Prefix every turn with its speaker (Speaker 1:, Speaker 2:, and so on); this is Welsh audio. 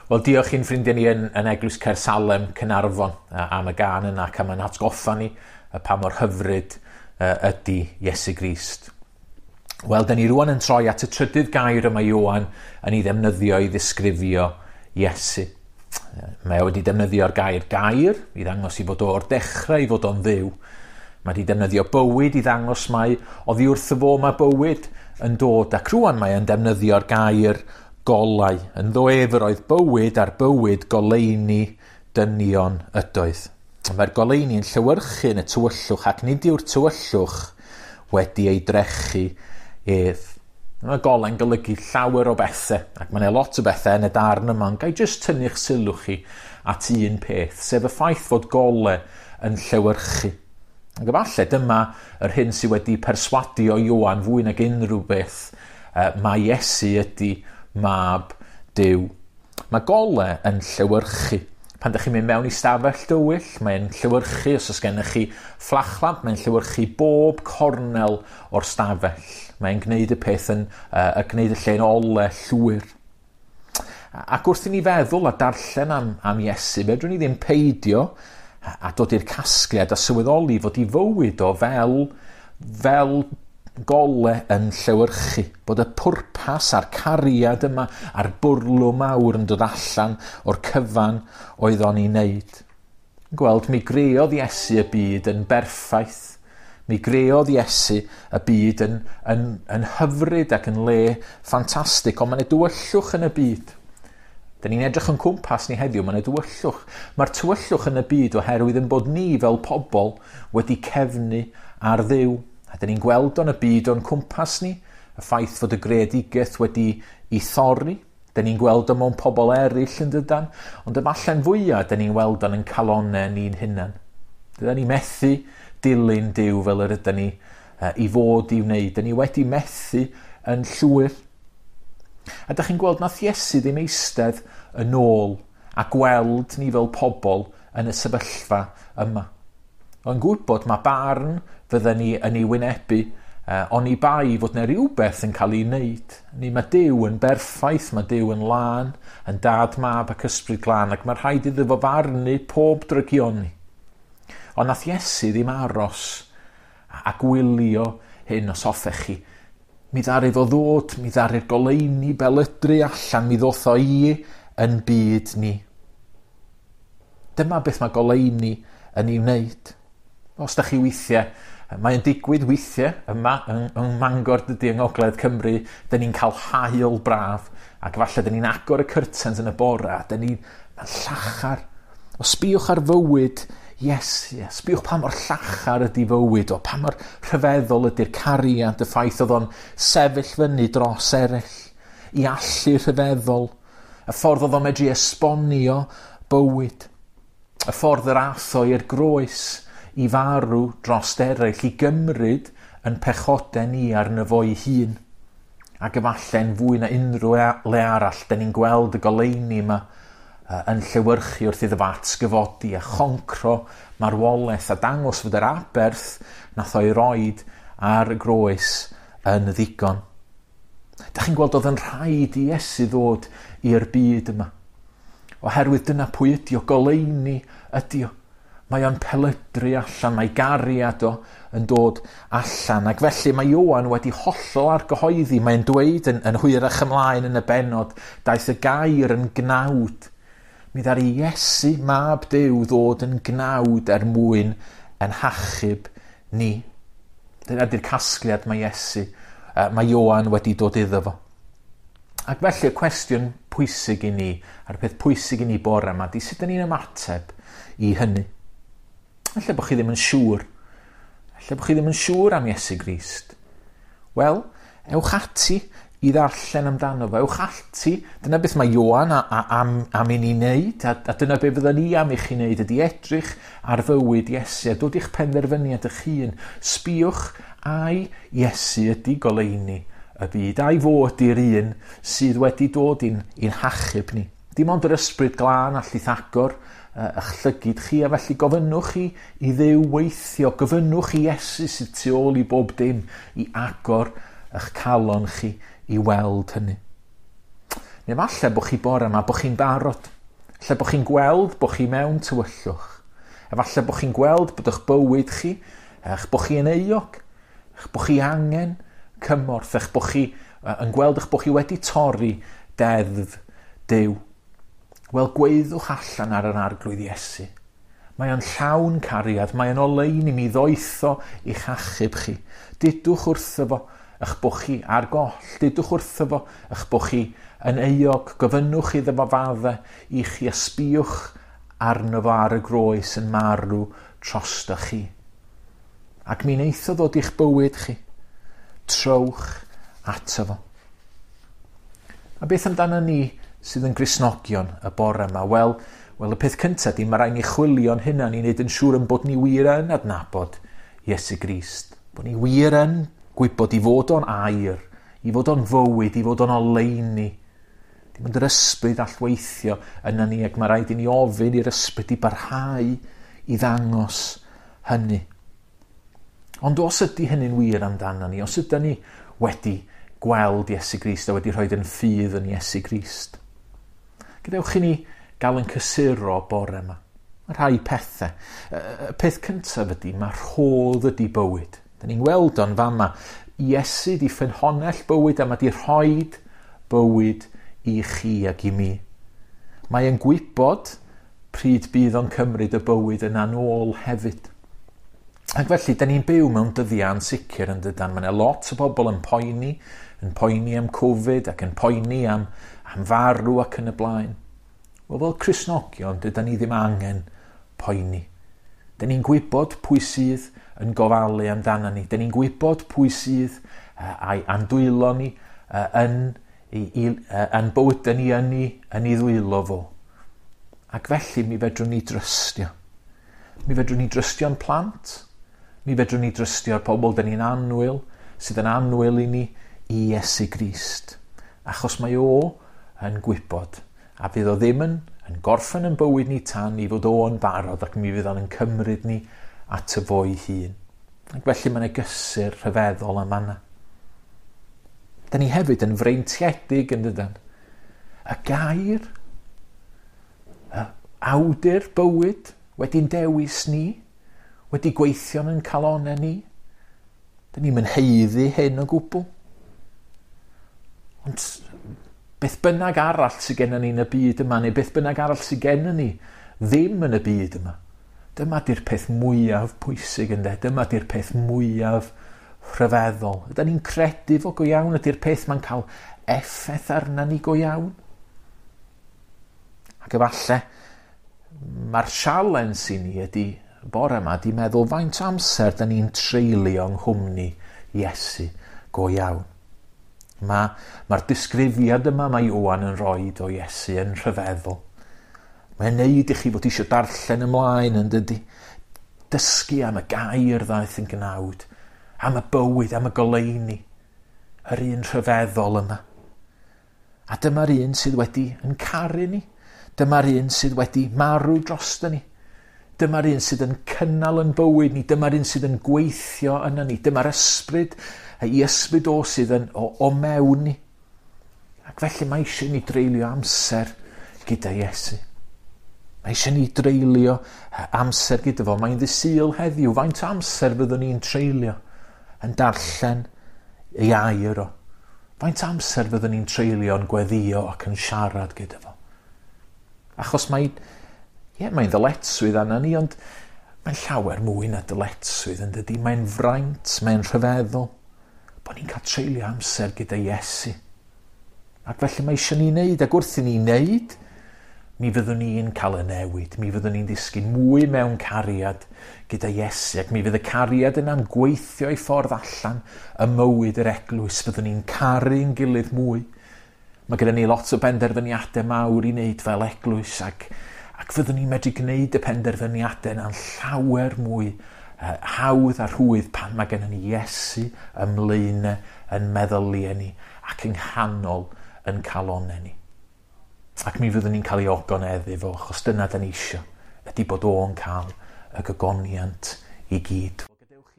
Speaker 1: Wel, diolch i'n ffrindiau ni yn Eglwys Caersalem, Caernarfon, am y gân yna, ac am ein hatgoffa ni pa mor hyfryd ydy Iesu Grist. Wel, da ni rwan yn troi at y trydydd gair y mae Ioan yn ei ddefnyddio i ddisgrifio Iesu. Mae o wedi defnyddio'r gair gair i ddangos i fod o o'r dechrau i fod o'n Dduw. Mae wedi defnyddio bywyd i ddangos mai oddi wrtho fo mae bywyd yn dod, ac rwan mae o'n defnyddio'r gair golau. Ynddo ef yr oedd bywyd, a'r bywyd goleuni dynion ydoedd. Mae'r goleuni yn llewyrchu yn y tywyllwch, ac nid yw'r tywyllwch wedi ei drechu ef. Mae golau'n golygu llawer o bethau, ac mae 'na lot o bethau yn y darn yma, ond ga i jyst tynnu'ch sylw chi at un peth, sef y ffaith fod golau yn llewyrchu. Ac efallai dyma yr hyn sydd wedi perswadio Ioan fwy nag unrhyw beth, mae Iesu ydy mab Duw. Mae golau yn llewyrchu. Pan ydych chi'n mynd mewn i stafell dywyll, mae'n llewyrchu. Os oes gennych chi fflachlamp, mae'n llewyrchu bob cornel o'r stafell. Mae'n gwneud y peth yn, gwneud y lle'n ole llwyr. Ac wrth i ni feddwl a darllen am Iesu, fedrwn ni ddim peidio a dod i'r casgliad a sylweddoli fod i fywyd o fel gole yn llewyrchu, bod y pwrpas a'r cariad yma a'r bwrlwm mawr yn dod allan o'r cyfan oedd o'n ei wneud. Gweld, mi greodd Iesu y byd yn berffaith. Mi greodd Iesu y byd yn hyfryd ac yn le ffantastig, ond mae 'na dywyllwch yn y byd. Da ni'n edrych yn cwmpas ni heddiw, mae 'na dywyllwch. Mae'r tywyllwch yn y byd oherwydd yn bod ni fel pobl wedi cefnu ar Dduw. A da ni'n gweld o'n y byd o'n cwmpas ni, y ffaith fod y greadigaeth wedi ei thorri. Da ni'n gweld o mewn pobl eraill yn dydan, ond efallai'n fwyaf da ni'n weld o'n yn calonnau ni'n hunan. Dydan ni methu dilyn Duw fel yr ydyn ni i fod i wneud. Da ni wedi methu yn llwyr. A da chi'n gweld nath Iesu ddim eistedd yn ôl a gweld ni fel pobl yn y sefyllfa yma. O'n gwybod mae barn fydden ni yn ei wynebu, oni bai fod 'na rhywbeth yn cael ei wneud. Ni mae Duw yn berffaith, mae Duw yn lân, yn dad, mab ac ysbryd glân, ac mae rhaid iddo fo farnu pob drygioni. Ond nath Iesu ddim aros a gwylio hyn, os hoffech chi. Mi ddaru fo ddod, mi ddaru'r goleuni belydru allan, mi ddoth o i yn byd ni. Dyma beth mae goleuni yn ei wneud. Os da chi weithiau, mae'n digwydd weithiau yma yng Mangor dydy yng Ngogledd Cymru, da ni'n cael haul braf, ac falle da ni'n agor y curtains yn y bore, a da ni'n llachar. O sbïwch ar fywyd Iesu, yes, sbïwch pa mor llachar ydy fywyd o, pa mor rhyfeddol ydy'r cariad, y ffaith oedd o'n sefyll fyny dros eraill, i allu rhyfeddol, y ffordd oedd o'n medru esbonio bywyd, y ffordd yr ath o i'r groes i farw dros eraill, i gymryd yn pechodau ni arno fo'i hun. Ac efallai'n fwy na unrhyw le arall, da ni'n gweld y goleuni yma yn llewyrchu wrth iddo fo atgyfodi a choncro marwolaeth a dangos fod yr aberth nath o'i roid ar y groes yn ddigon. Da chi'n gweld oedd yn rhaid i Iesu ddod i'r byd yma. Oherwydd dyna pwy ydi o, goleuni ydi o. Mae o'n pelydru allan, mae gariad o yn dod allan. Ac felly mae Ioan wedi hollol argyhoeddi. Mae'n dweud yn hwyrach ymlaen yn y bennod, daeth y gair yn gnawd. Mi ddaru Iesu, mab Duw, ddod yn gnawd er mwyn yn hachub ni. Dyna di'r casgliad mae Iesu, mae Ioan wedi dod iddo fo. Ac felly y cwestiwn pwysig i ni, a'r peth pwysig i ni bore yma, di sut 'dan ni'n ymateb i hynny. Ella bod chi ddim yn siŵr. Ella bod chi ddim yn siŵr am Iesu Grist. Wel, ewch ati i ddarllen amdano fo. Ewch ati, dyna beth mae Ioan am i ni wneud, a dyna beth fydden ni am i chi wneud, ydy edrych ar fywyd Iesu, a dod i'ch penderfyniad eich hun. Sbïwch ai Iesu ydy goleuni y byd, a'i fo ydy'r un sydd wedi dod i'n hachub ni. Dim ond yr ysbryd glân allith agor eich llygid chi, a felly gofynnwch chi i Dduw weithio, gofynnwch i Iesu sydd tu ôl i bob dim i agor eich calon chi i weld hynny. Neu falle bod chi bore yma, bod chi'n barod. Lle bod chi'n gweld bod chi mewn tywyllwch. Efallai bod chi'n gweld bod eich bywyd chi, eich bod chi yn euog, eich bod chi angen cymorth, eich bod chi yn gweld eich bod chi wedi torri deddf Duw. Wel, gweithwch allan ar yr Arglwydd Iesu. Mae o'n llawn cariad, mae o'n oleuni mi ddoetho i'ch achub chi. Dudwch wrtho fo eich bod chi ar goll, dudwch wrtho fo eich bod chi yn euog, gofynnwch iddo fo fadde i chi a sbïwch arno fo ar y groes yn marw drosto chi. Ac mi wneith o ddod i'ch bywyd chi. Trowch ato fo. A beth amdano ni sydd yn Gristnogion y bore yma? Wel, y peth cyntaf di, mae rhaid ni chwilio'n hunan i wneud yn siŵr yn bod ni wir yn adnabod Iesu Grist. Bod ni wir yn gwybod i fod o'n air, i fod o'n fywyd, i fod o'n oleuni. Dim ond yr ysbryd all weithio yna ni, ac mae rhaid i ni ofyn i'r ysbryd i barhau i ddangos hynny. Ond os ydy hynny'n wir amdano ni, os ydy ni wedi gweld Iesu Grist a wedi rhoi yn ffydd yn Iesu Grist, gadewch i ni gael yn cysuro bore yma. Mae rhai pethau. Y peth cyntaf ydy, mae rhodd ydy bywyd. Da ni'n weld o'n fama. Iesu di ffynhonnell bywyd a mae di rhoid bywyd i chi ac i mi. Mae yn gwybod pryd bydd o'n cymryd y bywyd yna nôl hefyd. Ac felly, da ni'n byw mewn dyddiau ansicr yn dydan. Mae yna lot o bobl yn poeni am Covid ac yn poeni am farw ac yn y blaen. Wel, fel Cristnogion, dydan ni ddim angen poeni. Da ni'n gwybod pwy sydd yn gofalu amdano ni. Da ni'n gwybod pwy sydd a'n dwylo ni yn bywydau ni yn ei ddwylo fo. Ac felly mi fedrwn ni drystio. Mi fedrwn ni drystio'n plant. Mi fedrwn ni drystio'r pobl da ni'n annwyl, sydd yn annwyl i ni, i Iesu Grist. Achos mae o yn gwybod. A fydd o ddim yn gorffen yn bywyd ni tan i fod o'n barod ac mi fydd o'n cymryd ni at y fo'i hun. Ac felly mae'n gysur rhyfeddol am yna. Da ni hefyd yn freintiedig yn dydan. Y gair, y awdur bywyd wedi'n dewis ni, wedi gweithio yn calonau ni. Da ni'n mynd haeddu hyn o gwbl. Ond beth bynnag arall sydd gennym ni yn y byd yma, neu beth bynnag arall sydd gennym ni ddim yn y byd yma, dyma di'r peth mwyaf pwysig ynde, dyma di'r peth mwyaf rhyfeddol. Ydan ni'n credu fo go iawn, ydy'r peth ma'n cael effaith arna ni go iawn? Ac efallai, mae'r sialens i ni ydy bore yma, di meddwl faint o amser da ni'n treulio yng nghwmni Iesu go iawn. Mae'r disgrifiad yma mae Ioan yn rhoi o Iesu yn rhyfeddol. Mae'n neud i chi fod eisiau darllen ymlaen yn dydy. Dysgu am y gair ddaeth yn gnawd, am y bywyd, am y goleuni, yr un rhyfeddol yma. A dyma'r un sydd wedi yn caru ni. Dyma'r un sydd wedi marw drosto ni. Dyma'r un sydd yn cynnal yn bywyd ni. Dyma'r un sydd yn gweithio yna ni. Dyma'r ysbryd, ei ysbryd o sydd yn o mewn ni. Ac felly mae eisiau ni dreulio amser gyda Iesu. Mae eisiau ni dreulio amser gyda fo. Mae'n ddydd Sul heddiw. Faint o amser fyddwn ni'n treulio yn darllen ei air o? Faint o amser fyddwn ni'n treulio yn gweddio ac yn siarad gyda fo? Achos mae'n ddyletswydd arna ni, ond mae'n llawer mwy na dyletswydd yn dydy. Mae'n fraint, mae'n rhyfeddol bod ni'n cael treulio amser gyda Iesu. Ac felly mae eisiau ni wneud, ac wrth i ni wneud, mi fyddwn ni'n cael y newid, mi fyddwn ni'n disgyn mwy mewn cariad gyda Iesu, ac mi fydd y cariad yna'n gweithio i ffordd allan ym mywyd yr eglwys, fyddwn ni'n caru'n gilydd mwy. Mae gyda ni lot o benderfyniadau mawr i wneud fel eglwys, ac fyddwn ni'n medru gwneud y penderfyniadau yna'n llawer mwy hawdd a rhwydd pan mae gennym ni Iesu ymlaen yn meddyliau ni ac yng nghanol yn calonau ni. Ac mi fyddwn ni'n cael ei ogoneddu fo, achos dyna da ni isio, ydy bod o'n cael y gogoniant i gyd.